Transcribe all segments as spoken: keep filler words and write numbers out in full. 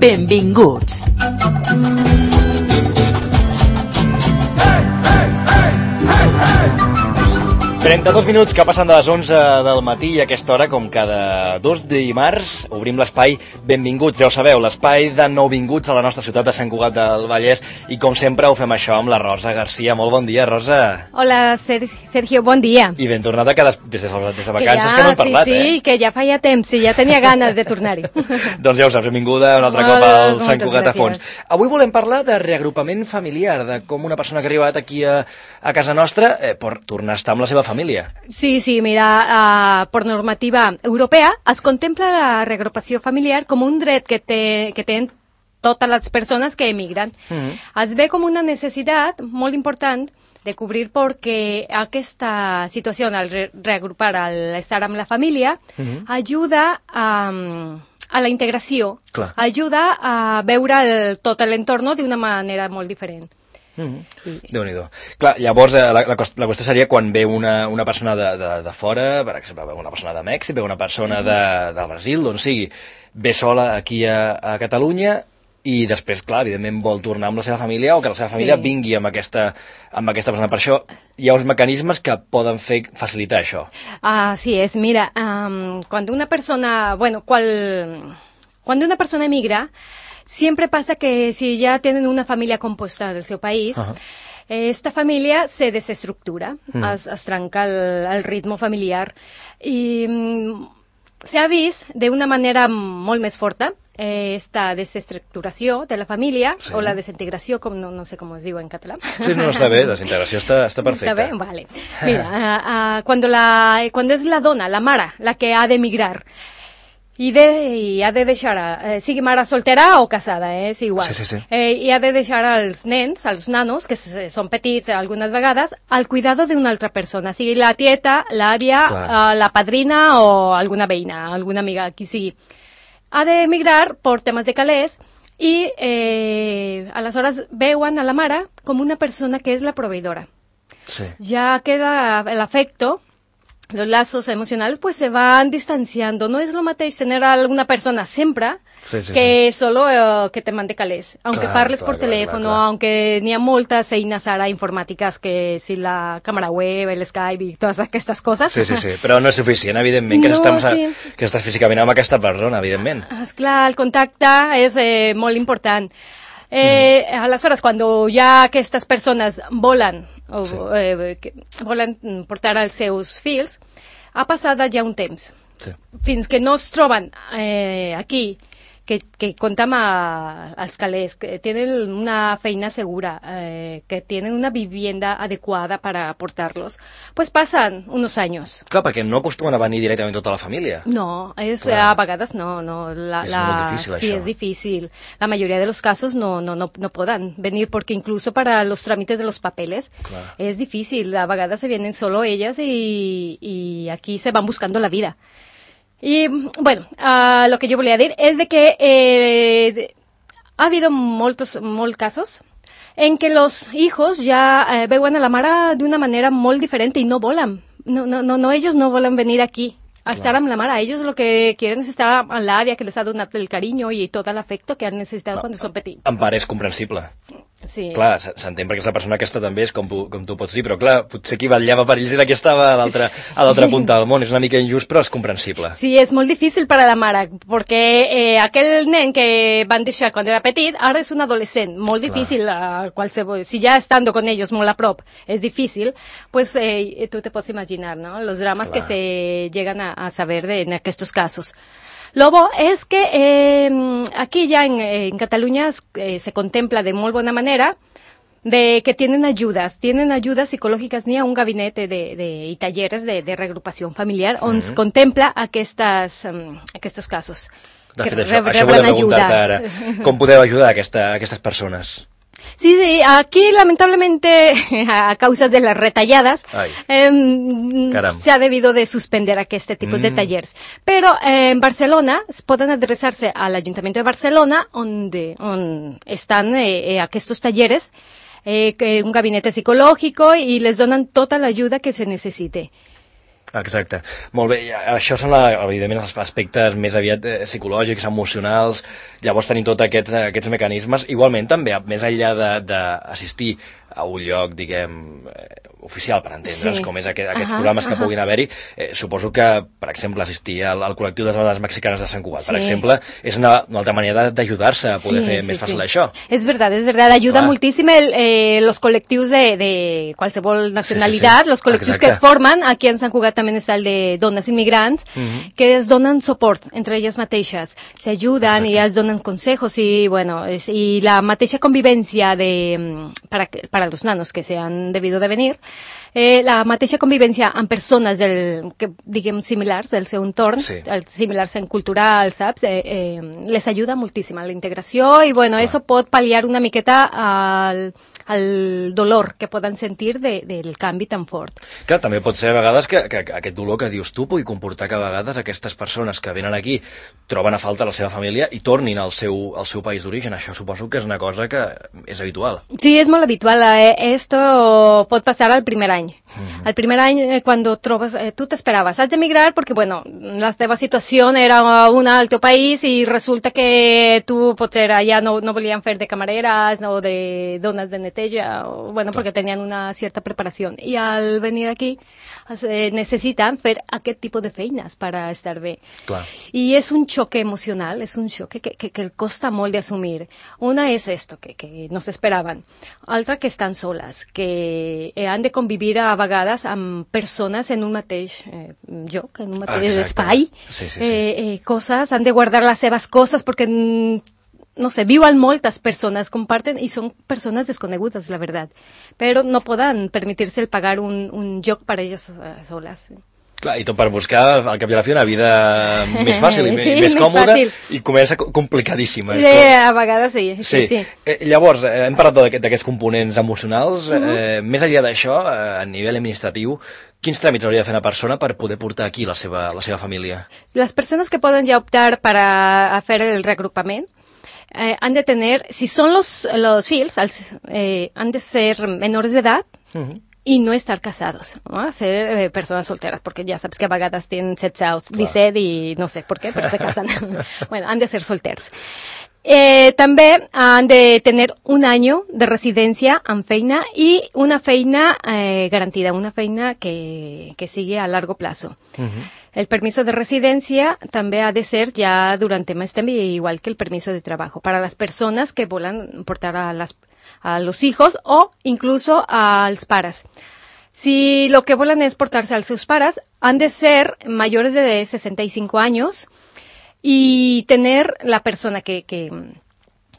Benvinguts. trenta-dos minuts que passen de les onze del matí i a aquesta hora, com cada dos dimarts, obrim l'espai Benvinguts. Ja ho sabeu, l'espai de nouvinguts a la nostra ciutat de Sant Cugat del Vallès, i com sempre ho fem això amb la Rosa Garcia. Molt bon dia, Rosa. Hola, Sergio, bon dia. I ben tornada que des, des, de, des de vacances que, ja, que no hem parlat, sí, eh? Sí, que ja feia temps i ja tenia ganes de tornar-hi. Doncs ja ho saps, benvinguda un altre cop al Sant Cugat a fons. Avui volem parlar de reagrupament familiar, de com una persona que ha arribat aquí a, a casa nostra eh, pot tornar a estar amb la seva família. Sí, sí, mira, uh, por normativa europea es contempla la reagrupació familiar com un dret que, té, que tenen totes les persones que emigren. Mm-hmm. Es ve com una necessitat molt important de cobrir perquè aquesta situació, al re reagrupar, al estar amb la família, mm-hmm. ajuda a, a la integració, Clar. ajuda a veure el, tot l'entorn d'una manera molt diferent. Mm-hmm. Déu-n'hi-do. Clar, llavors la, la, la qüestió seria quan ve una, una persona de, de, de fora, per exemple, ve una persona de Mèxic, ve una persona de, de Brasil, d'on sigui, ve sola aquí a, a Catalunya i després, clar, evidentment vol tornar amb la seva família o que la seva família sí. vingui amb aquesta, amb aquesta persona. Per això hi ha uns mecanismes que poden fer facilitar això. Así es, mira, um, cuando una persona, bueno, cual, cuando una persona emigra, siempre pasa que si ya tienen una familia compuesta del seu país, uh-huh. esta familia se desestructura, mm. es, es trenca el, el ritme familiar i mm, s'ha vist d'una manera molt més forta eh, esta desestructuració de la família sí. o la desintegració, com no, no sé com es diu en català. Sí, no, està bé, desintegració està, està perfecta. Està bé? Vale. Mira, uh, uh, cuando, la, cuando es la dona, la mare, la que ha d'emigrar, I, de, i ha de deixar, eh, sigui mare soltera o casada, eh, és igual. Sí, sí, sí. Eh, I ha de deixar als nens, als nanos, que són petits algunes vegades, al cuidado d'una altra persona, sigui la tieta, l'àvia, eh, la padrina o alguna veïna, alguna amiga, qui sigui. Ha d'emigrar per temes de calés i eh, aleshores veuen a la mare com una persona que és la proveïdora. Sí. Ja queda l'afecto, los lazos emocionales pues se van distanciando. No es lo mateix tener a una persona siempre sí, sí, que sí. solo uh, que te mande calés. Aunque clar, parles clar, por clar, teléfono, clar, clar. aunque n'hi ha moltes eines ara informàtiques que si la càmera web, el Skype i totes aquestes coses. Sí, sí, sí, però no és suficient, evidentment, que, no, estàs, sí. que estàs físicament amb aquesta persona, evidentment. Esclar, el contacte és eh, molt important. Eh, mm. Aleshores, quan ja aquestes persones volen o sí. eh, que volen portar els seus fills, ha passat ja un temps. Sí. Fins que no es troben eh, aquí, que, que compten als calés, que tenen una feina segura, eh, que tenen una vivienda adequada para portarlos, pues pasan unos años. Clar, perquè no acostumen a venir directament tota la família. No, és, a vegades no. no la, és la, molt difícil, sí, això. es difícil. La mayoría de los casos no, no, no, no puedan venir, porque incluso para los trámites de los papeles Clar. es difícil. A vegades se vienen solo ellas y, y aquí se van buscando la vida. Y, bueno, uh, lo que yo volia dir es de que eh, de, ha habido moltos, molts casos en que los hijos ya eh, veuen a la mare d'una manera molt diferente y no volan. No, no, no, no, ellos no volen venir aquí a estar amb la mare. Ellos lo que quieren es estar amb l'àvia que les ha donat el carinyo i tot l'afecto que han necessitat no, quan són petits. En part és comprensible. Sí. Clar, s'entén perquè és la persona aquesta també és com, com tu pots dir, però clar, potser qui vetllava per ells era qui estava a l'altra sí. punta del món. És una mica injust, però és comprensible. Sí, és molt difícil per a la mare, perquè eh, aquell nen que van deixar quan era petit, ara és un adolescent. Molt difícil, uh, qualsevol, si ja estando con ellos molt a prop és difícil, pues eh, tu te pots imaginar, ¿no? Los dramas Clar. que se llegan a, a saber de, en aquests casos. Lo bo és que eh, aquí ya en, en Cataluña eh, se contempla de molt bona manera de que tienen ayudas, tienen ayudas psicològiques, n'hi ha un gabinete de, de, i talleres de, de reagrupació familiar on es mm-hmm. contempla aquestes, um, aquests casos. De fet, això, això volem preguntar-te ara. Com podeu ajudar aquesta, aquestes persones? Sí, sí, aquí lamentablemente a causa de las retalladas eh, se ha debido de suspender este tipo mm. de talleres. Pero eh, en Barcelona pueden adresarse al Ayuntamiento de Barcelona donde, donde están eh, eh, estos talleres, eh, un gabinete psicológico y les donan toda la ayuda que se necesite. Exacte. Molt bé, això són, la, evidentment, els aspectes més aviat eh, psicològics, emocionals, llavors tenim tots aquests, aquests mecanismes. Igualment, també, més enllà d'assistir a un lloc, diguem, eh, oficial, per entendre'ns, sí. com és aquest, aquests uh -huh, programes que uh -huh. puguin haver-hi, eh, suposo que, per exemple, assistir al, al col·lectiu de les dones mexicanes de Sant Cugat, sí. per exemple, és una, una altra manera d'ajudar-se a poder sí, fer sí, més fàcil sí. això. És verdad, és verdad, ajuda Clar. moltíssim el, eh, los col·lectius de, de qualsevol nacionalitat, sí, sí, sí. los col·lectius Exacte. que es formen, aquí en Sant Cugat també està el de dones immigrants, uh -huh. que es donen suport entre elles mateixes, se ayudan i es donen consejos i, bueno, es, y la mateixa convivència de, para, para los nanos que se han debido de venir, eh, la mateixa convivència amb persones del, que, diguem, similars del seu entorn, sí. similars en cultural, saps? Eh, eh, les ajuda moltíssim a la integració i, bueno, Clar. eso pot pal·liar una miqueta al, al dolor que poden sentir de, del canvi tan fort. Clar, també pot ser a vegades que, que, que aquest dolor que dius tu pugui comportar que a vegades aquestes persones que venen aquí troben a falta la seva família i tornin al seu, al seu país d'origen. Això suposo que és una cosa que és habitual. Sí, és molt habitual. Eh, esto pot passar al primer any. Mm-hmm. Al primer any, eh, cuando trobes, eh, tu t'esperaves, has d'emigrar perquè, bueno, la teva situació era una al teu país i resulta que tu, potser allà no, no volien fer de camareres o de dones de neteja, o, bueno, perquè tenien una certa preparació. I al venir aquí eh, necessiten fer aquest tipus de feines per a estar bé. Clar. I és un xoc emocional, és un xoc que, que, que costa molt d'assumir. Una és esto, que, que no s'esperaven. Altra, que estan soles, que eh, han de convivir a vegades amb persones en un mateix eh, lloc, en un mateix Exacte. espai. Sí, sí, sí. Eh, eh, coses, han de guardar les seves coses perquè, no sé, viuen moltes persones, comparten i són persones desconegudes, la veritat. Però no poden permetir-se el pagar un, un lloc per a elles uh, soles. Clar, i tot per buscar, al cap i a la fi, una vida més fàcil i sí, més còmoda fàcil. I comença complicadíssima. Sí, a vegades sí. Sí, sí, sí. Eh, llavors, eh, hem parlat d'aquests components emocionals. Uh -huh. eh, més enllà d'això, eh, a nivell administratiu, quins tràmits hauria de fer una persona per poder portar aquí la seva, la seva família? Les persones que poden ja optar per a, a fer el regrupament eh, han de tener, si són los, los fills, els, eh, han de ser menores d'edat, uh -huh. i no estar casados, ¿no? Ser eh, personas solteras, porque ya sabes que a vegades tienen setze anys, disset i no sé por qué, pero se casan. Bueno, han de ser solters. Eh, també han de tener un año de residència amb feina i una feina eh, garantida, una feina que, que sigui a largo plazo. Uh-huh. El permiso de residencia també ha de ser ja durant més temps, igual que el permiso de trabajo, para las personas que volen portar a las a los hijos o incluso als pares. Si lo que volen es portarse a sus pares, han de ser mayores de sesenta y cinco años y tener la persona que, que,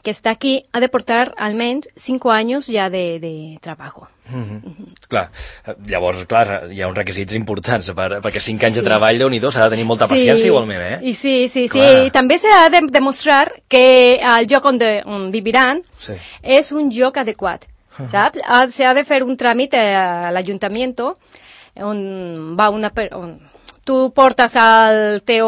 que está aquí ha de portar almenys cinco anys ja de, de treball. Mm-hmm. Mm-hmm. Clar, llavors, clar, hi ha uns requisits importants per, perquè cinc anys sí. de treball, Déu-n'hi-do, s'ha de tenir molta sí. paciència igualment, eh? I sí, sí, clar. sí, i també s'ha de demostrar que el lloc on, de, on viviran sí. és un lloc adequat, uh-huh. saps? S'ha de fer un tràmit a l'Ajuntament on va una... On tu portas al teu,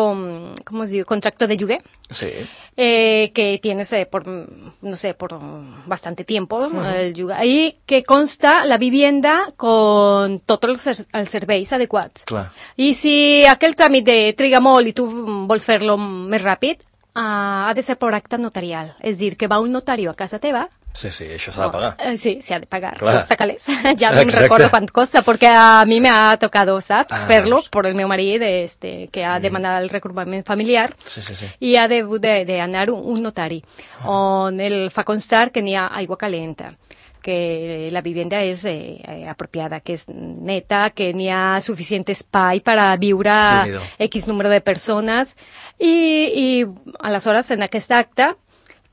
¿cómo es diu? Contrato de lloguer. Sí. Eh, que tienes eh, por, no sé, por bastante tiempo, uh-huh. el lloguer, y que consta la vivienda con tots els, els serveis adequats. Clar. I si aquell tràmit de triga molt i tu vols fer-lo més ràpid, uh, ha de ser per acte notarial. És dir, que va un notari a casa teva. Sí, sí, això s'ha de pagar. Oh, sí, se ha de pagar. Clar. Costa calés. Ya no me recuerdo cuánto costa, porque a mí me ha tocado, ¿sabes? Ah, fer-lo por el meu marit, este, que ha demanat el regrupament familiar. Sí, sí, sí. I ha de, de, de anar un, un notari, oh. on el fa constar que n'hi ha aigua calenta, que la vivienda és eh, apropiada, que és neta, que n'hi ha suficient espai per a viure X número de persones, i, i aleshores en aquest acte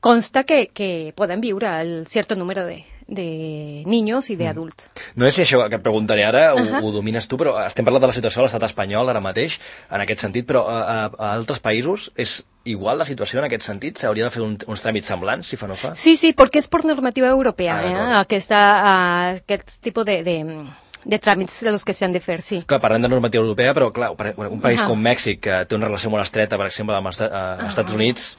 consta que, que poden viure el cert número de, de niños i d'adults. No sé si això que et preguntaré ara ho, uh-huh. ho domines tu, però estem parlant de la situació a l'estat espanyol ara mateix, en aquest sentit, però a, a, a altres països és igual la situació en aquest sentit? S'hauria de fer un, uns tràmits semblants, si fa no fa? Sí, sí, perquè és per normativa europea, ah, eh? Aquesta, uh, aquest tipus de... de de tràmits de los que s'han de fer, sí. Clar, parlem de normativa europea, però clar, un país uh -huh. com Mèxic, que té una relació molt estreta, per exemple, amb els uh, Estats Units,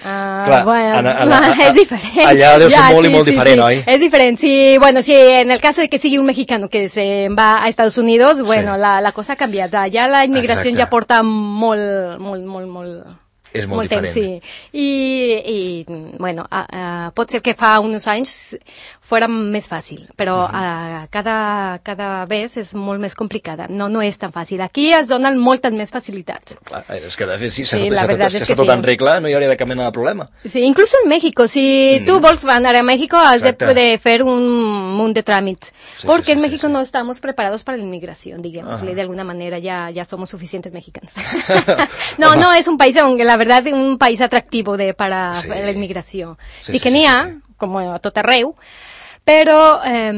uh, clar, bueno, a, a, a, a, és diferent. Allà deu ser ja, molt sí, i molt sí, diferent, sí. oi? És diferent, sí. Bueno, sí, en el caso de que sigui un mexicano que se va a Estados Unidos, bueno, sí. la, la cosa ha canviat. Ja la immigració ja porta molt, molt, molt, molt... És molt, molt diferent. Temps, sí. I, i bueno, a, a, pot ser que fa uns anys fora més fàcil, però uh -huh. a, cada, cada vegada és molt més complicada. No, no és tan fàcil. Aquí es donen moltes més facilitats. Clar, és que de fet, sí, si sí, està tot en regla, no hi hauria de cap mena de problema. Sí, incluso en México. Si mm. tu vols anar a México, has de, de fer un munt de tràmits. Sí, porque sí, sí, en México sí, sí. no estamos preparados para la inmigración, digamos. Uh -huh. De alguna manera ya, ya somos suficientes mexicanos. no, no, es un país, aunque la verdad, un país atractivo de, para sí. la inmigració. Sí, sí, sí que n'hi ha, sí, sí. com a tot arreu, però eh,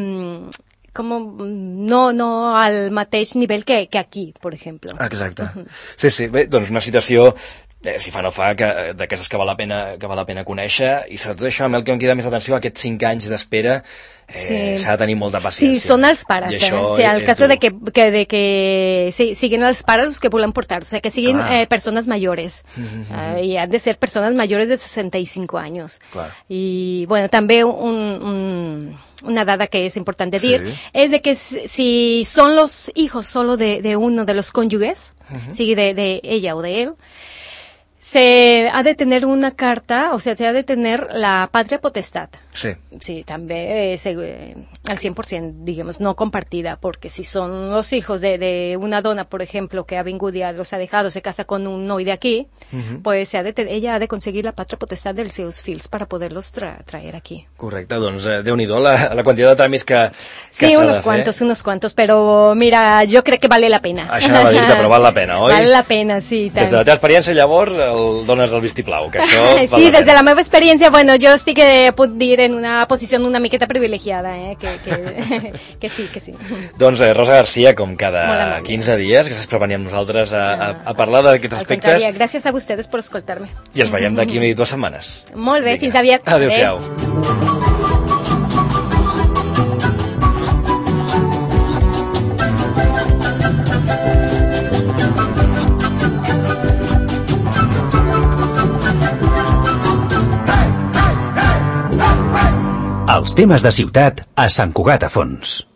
com no, no al mateix nivell que, que aquí, per exemple. Exacte. Uh -huh. Sí, sí, bé, doncs una situació, eh, si fa no fa, que d'aquestes que val la pena que val la pena conèixer, i sobretot això, amb el que em queda més atenció, aquests cinc anys d'espera, eh, s'ha sí. de tenir molta paciència. Sí, són els pares, eh? O sigui, el cas de que, que, de que sí, siguin els pares els que volen portar, o sigui, que siguin eh, persones mayores, uh, i han de ser persones mayores de sesenta y cinco años. Clar. I, bueno, també un, un, una dada que es importante decir, sí. es de que si son los hijos solo de, de uno de los cónyuges, uh-huh. sigui de, de ella o de él, se ha de tener una carta, o sea, se ha de tener la patria potestad. Sí. Sí, també eh, eh, al cien por ciento, digamos, no compartida, porque si son los hijos de, de una dona, por ejemplo, que ha vingut y los ha dejado, se casa con un noi de aquí, uh-huh. pues se ha de, ella ha de conseguir la patria potestad dels seus fills para poderlos tra traer aquí. Correcte, doncs eh, Déu-n'hi-do la, la quantitat de tràmits que, que sí, unos cuantos, unos cuantos, pero mira, yo creo que vale la pena. Això no va dir-te, però val la pena, oi? Vale la pena, sí. Tant. Des de la teva experiència, llavors, el, dones el vistiplau, que això sí, val la des de pena. la meva experiència, bueno, jo estic, eh, puc dir, en una posició una miqueta privilegiada, eh, que, que, que sí, que sí. Doncs eh, Rosa Garcia, com cada quinze dies, gràcies per venir amb nosaltres a, a, a parlar d'aquests aspectes. Al gràcies a vosaltres per escoltar-me. I ens veiem d'aquí unes dues setmanes. Molt bé, fins aviat. Adéu-siau. Els temes de ciutat a Sant Cugat a Fons.